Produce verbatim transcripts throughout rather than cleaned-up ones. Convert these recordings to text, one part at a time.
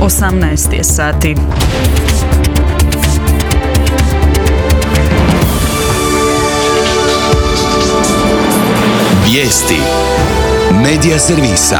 osamnaest je sati. Vijesti Medija servisa.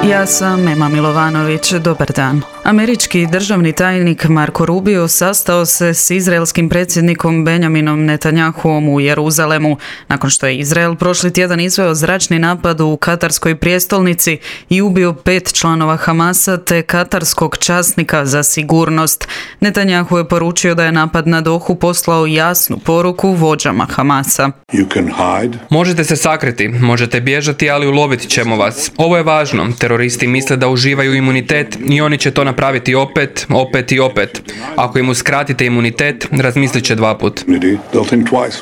Ja sam Ema Milovanović, dobar dan. Američki državni tajnik Marko Rubio sastao se s izraelskim predsjednikom Benjaminom Netanjahuom u Jeruzalemu, nakon što je Izrael prošli tjedan izveo zračni napad u katarskoj prijestolnici i ubio pet članova Hamasa te katarskog časnika za sigurnost. Netanjahu je poručio da je napad na Dohu poslao jasnu poruku vođama Hamasa. Možete se sakriti, možete bježati, ali uloviti ćemo vas. Ovo je važno. Teroristi misle da uživaju imunitet i oni će to napraviti opet, opet i opet. Ako im uskratite imunitet, razmislit će dva put.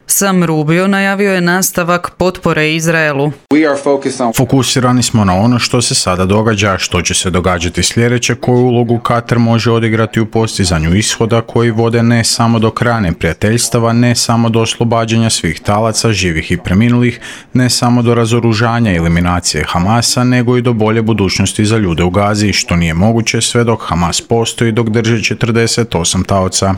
Sam Rubio najavio je nastavak potpore Izraelu. Fokusirani smo na ono što se sada događa, što će se događati sljedeće, koju ulogu Katar može odigrati u postizanju ishoda koji vode ne samo do kraja neprijateljstava, ne samo do oslobađanja svih talaca, živih i preminulih, ne samo do razoružanja i eliminacije Hamasa, nego i do bolje budućnosti za ljude u Gazi, što nije moguće sve dok Hamas postoji, dok drži četrdeset osam taoca.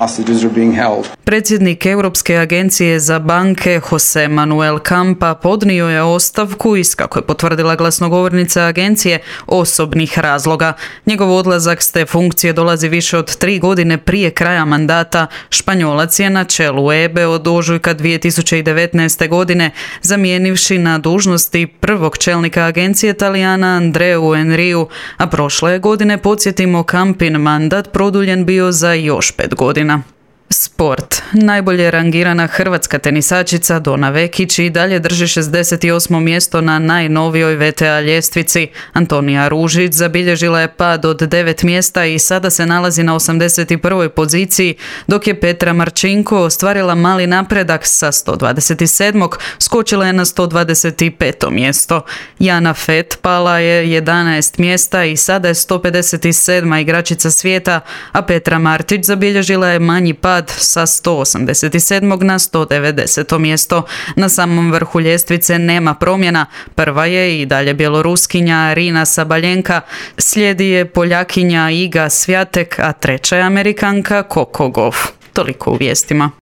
Predsjednik Europske agencije za banke Jose Manuel Campa podnio je ostavku iz, kako je potvrdila glasnogovornica agencije, osobnih razloga. Njegov odlazak s te funkcije dolazi više od tri godine prije kraja mandata. Španjolac je na čelu E B E od ožujka dvije tisuće devetnaeste. godine, zamijenivši na dužnosti prvog čelnika agencije Talijana Andreu Enriju, a prošle godine, podsjetimo, Campin mandat produljen bio za još pet godina. Sport. Najbolje rangirana hrvatska tenisačica Dona Vekić i dalje drži šezdeset osmo mjesto na najnovijoj V T A ljestvici. Antonija Ružić zabilježila je pad od devet mjesta i sada se nalazi na osamdeset prvoj poziciji, dok je Petra Marčinko ostvarila mali napredak sa sto dvadeset sedmog skočila je na sto dvadeset peto mjesto. Jana Fett pala je jedanaest mjesta i sada je sto pedeset sedma igračica svijeta, a Petra Martić zabilježila je manji pad sa sto osamdeset sedmog na sto devedeseto mjesto. Na samom vrhu ljestvice nema promjena. Prva je i dalje Bjeloruskinja Arina Sabaljenka, slijedi je Poljakinja Iga Swiatek, a treća je Amerikanka Coco Gauff. Toliko u vijestima.